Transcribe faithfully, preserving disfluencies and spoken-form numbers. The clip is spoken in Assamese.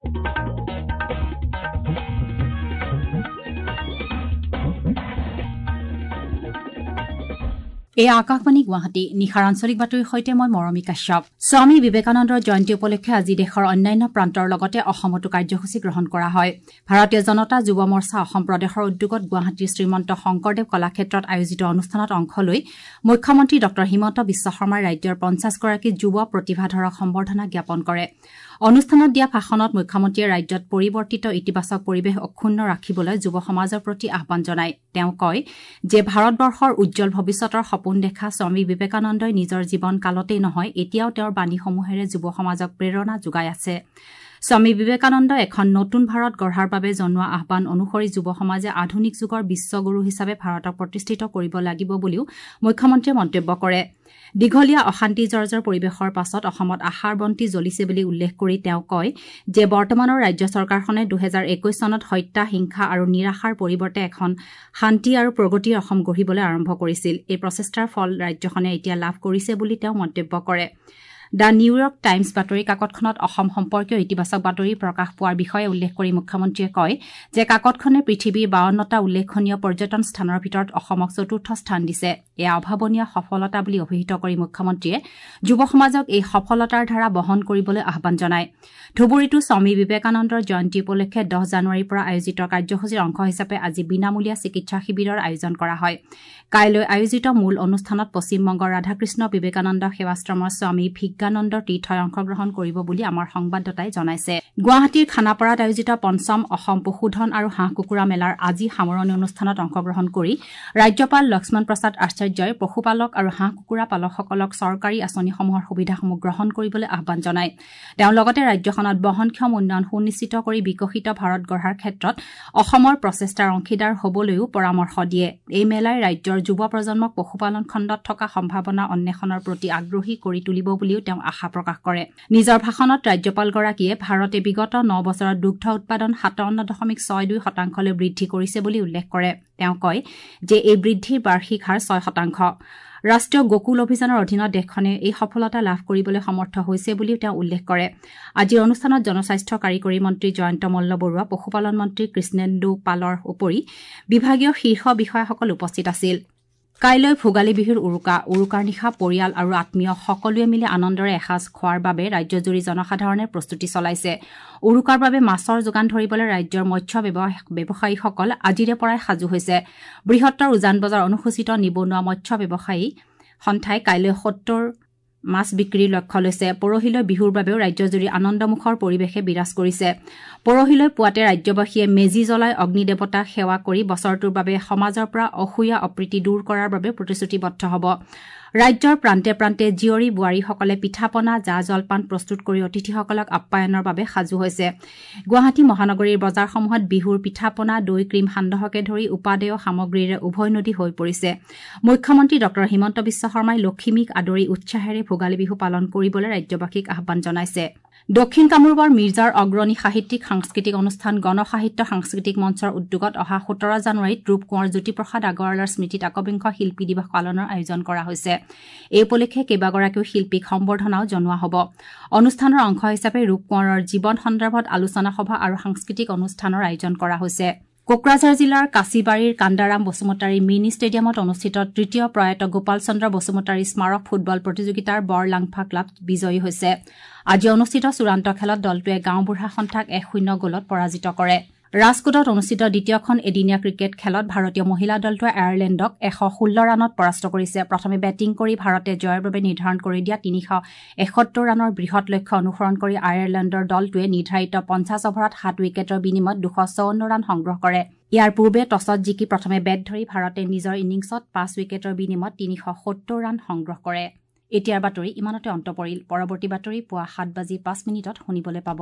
এই আকাশবাণী গুৱাহাটী নিশাৰ আঞ্চলিক বাতৰিৰ সৈতে মই মৰমী কাশ্যপ। স্বামী বিবেকানন্দৰ জয়ন্তী উপলক্ষে আজি দেশৰ অন্যান্য প্ৰান্তৰ লগতে অসমতো কাৰ্যসূচী গ্ৰহণ কৰা হয়। ভাৰতীয় জনতা যুৱ মৰ্চা অসম প্ৰদেশৰ উদ্যোগত গুৱাহাটীৰ শ্ৰীমন্ত শংকৰদেৱ কলাক্ষেত্ৰত আয়োজিত অনুষ্ঠানত অংশ লৈ মুখ্যমন্ত্ৰী ডঃ হিমন্ত বিশ্ব শৰ্মাই ৰাজ্যৰ পঞ্চাছগৰাকী যুৱ প্ৰতিভাধৰক সম্বৰ্ধনা জ্ঞাপন কৰে। অনুষ্ঠানত দিয়া ভাষণত মুখ্যমন্ত্ৰীয়ে ৰাজ্যত পৰিৱৰ্তিত ইতিবাচক পৰিৱেশ অক্ষুণ্ণ ৰাখিবলৈ যুৱ সমাজৰ প্ৰতি আহ্বান জনায়। তেওঁ কয় যে ভাৰতবৰ্ষৰ উজ্জ্বল ভৱিষ্যতৰ সপোন দেখা স্বামী বিবেকানন্দই নিজৰ জীৱন কালতেই নহয়, এতিয়াও তেওঁৰ বাণীসমূহেৰে যুৱ সমাজক প্ৰেৰণা যোগাই আছে। স্বামী বিবেকানন্দই এখন নতুন ভাৰত গঢ়াৰ বাবে জনোৱা আহ্বান অনুসৰি যুৱ সমাজে আধুনিক যুগৰ বিশ্বগুৰু হিচাপে ভাৰতক প্ৰতিষ্ঠিত কৰিব লাগিব বুলিও মুখ্যমন্ত্ৰীয়ে মন্তব্য কৰে। দীঘলীয়া অশান্তি জৰ্জৰ পৰিৱেশৰ পাছত অসমত আশাৰ বন্তি জ্বলিছে বুলি উল্লেখ কৰি তেওঁ কয় যে বৰ্তমানৰ ৰাজ্য চৰকাৰখনে দুহেজাৰ একৈশ চনত হত্যা, হিংসা আৰু নিৰাশাৰ পৰিৱৰ্তে এখন শান্তি আৰু প্ৰগতিৰ অসম গঢ়িবলৈ আৰম্ভ কৰিছিল। এই প্ৰচেষ্টাৰ ফল ৰাজ্যখনে এতিয়া লাভ কৰিছে বুলি তেওঁ মন্তব্য কৰে। The New York times বাতৰি কাকতখনত অসম সম্পৰ্কীয় ইতিবাচক বাতৰি প্ৰকাশ পোৱাৰ বিষয়ে উল্লেখ কৰি মুখ্যমন্ত্ৰীয়ে কয় যে কাকতখনে পৃথিৱীৰ বাৱন্নটা উল্লেখনীয় পৰ্যটন স্থানৰ ভিতৰত অসমক চতুৰ্থ স্থান দিছে। এয়া অভাৱনীয় সফলতা বুলি অভিহিত কৰি মুখ্যমন্ত্ৰীয়ে যুৱ সমাজক এই সফলতাৰ ধাৰা বহন কৰিবলৈ আহ্বান জনায়। ধুবুৰীতো স্বামী বিবেকানন্দৰ জয়ন্তী উপলক্ষে দহ জানুৱাৰীৰ পৰা আয়োজিত কাৰ্যসূচীৰ অংশ হিচাপে আজি বিনামূলীয়া চিকিৎসা শিবিৰৰ আয়োজন কৰা হয়। কাইলৈ আয়োজিত মূল অনুষ্ঠানত পশ্চিমবংগৰ ৰাধাকৃষ্ণ বিবেকানন্দ সেৱাশ্ৰমৰ স্বামী ভিজ্ঞানন্দ তীৰ্থই অংশগ্ৰহণ কৰিব বুলি আমাৰ সংবাদদাতাই জনাইছে। গুৱাহাটীৰ খানাপাৰাত আয়োজিত পঞ্চম অসম পশুধন আৰু হাঁহ কুকুৰা মেলাৰ আজি সামৰণি অনুষ্ঠানত অংশগ্ৰহণ কৰি ৰাজ্যপাল লক্ষ্মণ প্ৰসাদ আচাৰ্যই পশুপালক আৰু হাঁহ কুকুৰা পালকসকলক চৰকাৰী আঁচনিসমূহৰ সুবিধাসমূহ গ্ৰহণ কৰিবলৈ আহ্বান জনায়। তেওঁ লগতে ৰাজ্যখনত বহনক্ষম উন্নয়ন সুনিশ্চিত কৰি বিকশিত ভাৰত গঢ়াৰ ক্ষেত্ৰত অসমৰ প্ৰচেষ্টাৰ অংশীদাৰ হ'বলৈও পৰামৰ্শ দিয়ে। এই মেলাই ৰাজ্যৰ যুৱ প্ৰজন্মক পশুপালন খণ্ডত থকা সম্ভাৱনা অন্বেষণৰ প্ৰতি আগ্ৰহী কৰি তুলিব বুলিও তেওঁ আশা প্ৰকাশ কৰে। নিজৰ ভাষণত ৰাজ্যপালগৰাকীয়ে ভাৰতে বিগত ন বছৰত দুগ্ধ উৎপাদন সাতাৱন্ন দশমিক ছয় দুই শতাংশলৈ বৃদ্ধি কৰিছে বুলি উল্লেখ কৰে। তেওঁ কয় যে এই বৃদ্ধিৰ বাৰ্ষিক হাৰ ছয় শতাংশ। ৰাষ্ট্ৰীয় গোকুল অভিযানৰ অধীনত দেশখনে এই সফলতা লাভ কৰিবলৈ সমৰ্থ হৈছে বুলিও তেওঁ উল্লেখ কৰে। আজিৰ অনুষ্ঠানত জনস্বাস্থ্য কাৰিকৰী মন্ত্ৰী জয়ন্ত মল্ল বৰুৱা, পশুপালন মন্ত্ৰী কৃষ্ণেন্দু পালৰ উপৰি বিভাগীয় শীৰ্ষ বিষয়াসকল উপস্থিত আছিল। কাইলৈ ভোগালী বিহুৰ উৰুকা। উৰুকাৰ নিশা পৰিয়াল আৰু আত্মীয় সকলোৱে মিলি আনন্দৰে এসাঁজ খোৱাৰ বাবে ৰাজ্যজুৰি জনসাধাৰণে প্ৰস্তুতি চলাইছে। উৰুকাৰ বাবে মাছৰ যোগান ধৰিবলৈ ৰাজ্যৰ মৎস্য ব্যৱসায়ীসকল আজিৰে পৰাই সাজু হৈছে। বৃহত্তৰ উজান বজাৰ অনুসূচিত নিবনুৱা মৎস্য ব্যৱসায়ী সন্থাই কাইলৈ সত্তৰ মাছ বিক্ৰীৰ লক্ষ্য লৈছে। পৰহিলৈ বিহুৰ বাবেও ৰাজ্যজুৰি আনন্দমুখৰ পৰিৱেশে বিৰাজ কৰিছে। পৰহিলৈ পুৱাতে ৰাজ্যবাসীয়ে মেজি জ্বলাই অগ্নিদেৱতাক সেৱা কৰি বছৰটোৰ বাবে সমাজৰ পৰা অসূয়া অপ্ৰীতি দূৰ কৰাৰ বাবে প্ৰতিশ্ৰুতিবদ্ধ হ'ব। ৰাজ্যৰ প্ৰান্তে প্ৰান্তে জীয়ৰী বোৱাৰীসকলে পিঠা পনা, জা জলপান প্ৰস্তুত কৰি অতিথিসকলক আপ্যায়নৰ বাবে সাজু হৈছে। গুৱাহাটী মহানগৰীৰ বজাৰসমূহত বিহুৰ পিঠা পনা, দৈ, ক্ৰীম, সান্দহকে ধৰি উপাদেয় সামগ্ৰীৰে উভৈনদী হৈ পৰিছে। মুখ্যমন্ত্ৰী ডঃ হিমন্ত বিশ্ব শৰ্মাই লখিমীক আদৰি উৎসাহেৰে ভোগালী বিহু পালন কৰিবলৈ ৰাজ্যবাসীক আহ্বান জনাইছে। দক্ষিণ কামৰূপৰ মিৰ্জাৰ অগ্ৰণী সাহিত্যিক সাংস্কৃতিক অনুষ্ঠান গণ সাহিত্য সাংস্কৃতিক মঞ্চৰ উদ্যোগত অহা সোতৰ জানুৱাৰীত ৰূপকোঁৱৰ জ্যোতিপ্ৰসাদ আগৰৱালাৰ স্মৃতিত একবিংশ শিল্পী দিৱস পালনৰ আয়োজন কৰা হৈছে। এই উপলক্ষে কেইবাগৰাকীও শিল্পীক সম্বৰ্ধনাও জনোৱা হ'ব। অনুষ্ঠানৰ অংশ হিচাপে ৰূপকোঁৱৰৰ জীৱন সন্দৰ্ভত আলোচনা সভা আৰু সাংস্কৃতিক অনুষ্ঠানৰ আয়োজন কৰা হৈছে। কোকৰাঝাৰ জিলাৰ কাছিবাৰীৰ কান্দাৰাম বসুমতাৰী মিনি ষ্টেডিয়ামত অনুষ্ঠিত তৃতীয় প্ৰয়াত গোপাল চন্দ্ৰ বসুমতাৰী স্মাৰক ফুটবল প্ৰতিযোগিতাৰ বৰলাংফা ক্লাব বিজয়ী হৈছে। আজি অনুষ্ঠিত চূড়ান্ত খেলত দলটোৱে গাঁওবুঢ়া সন্থাক এক শূন্য গ'লত পৰাজিত কৰে। ৰাজকোটত অনুষ্ঠিত দ্বিতীয়খন এদিনীয়া ক্ৰিকেট খেলত ভাৰতীয় মহিলা দলটোৱে আয়াৰলেণ্ডক এশ ষোল্ল ৰানত পৰাস্ত কৰিছে। প্ৰথমে বেটিং কৰি ভাৰতে জয়ৰ বাবে নিৰ্ধাৰণ কৰি দিয়া তিনিশ এসত্তৰ ৰানৰ বৃহৎ লক্ষ্য অনুসৰণ কৰি আয়াৰলেণ্ডৰ দলটোৱে নিৰ্ধাৰিত পঞ্চাছ অভাৰত সাত উইকেটৰ বিনিময়ত দুশ চৌৱন্ন ৰান সংগ্ৰহ কৰে। ইয়াৰ পূৰ্বে টছত জিকি প্ৰথমে বেট ধৰি ভাৰতে নিজৰ ইনিংছত পাঁচ উইকেটৰ বিনিময়ত তিনিশ সত্তৰ ৰান সংগ্ৰহ কৰে। এতিয়াৰ বাতৰি ইমানতে অন্ত পৰিল। পৰৱৰ্তী বাতৰি পুৱা সাত বাজি পাঁচ মিনিটত শুনিবলৈ পাব।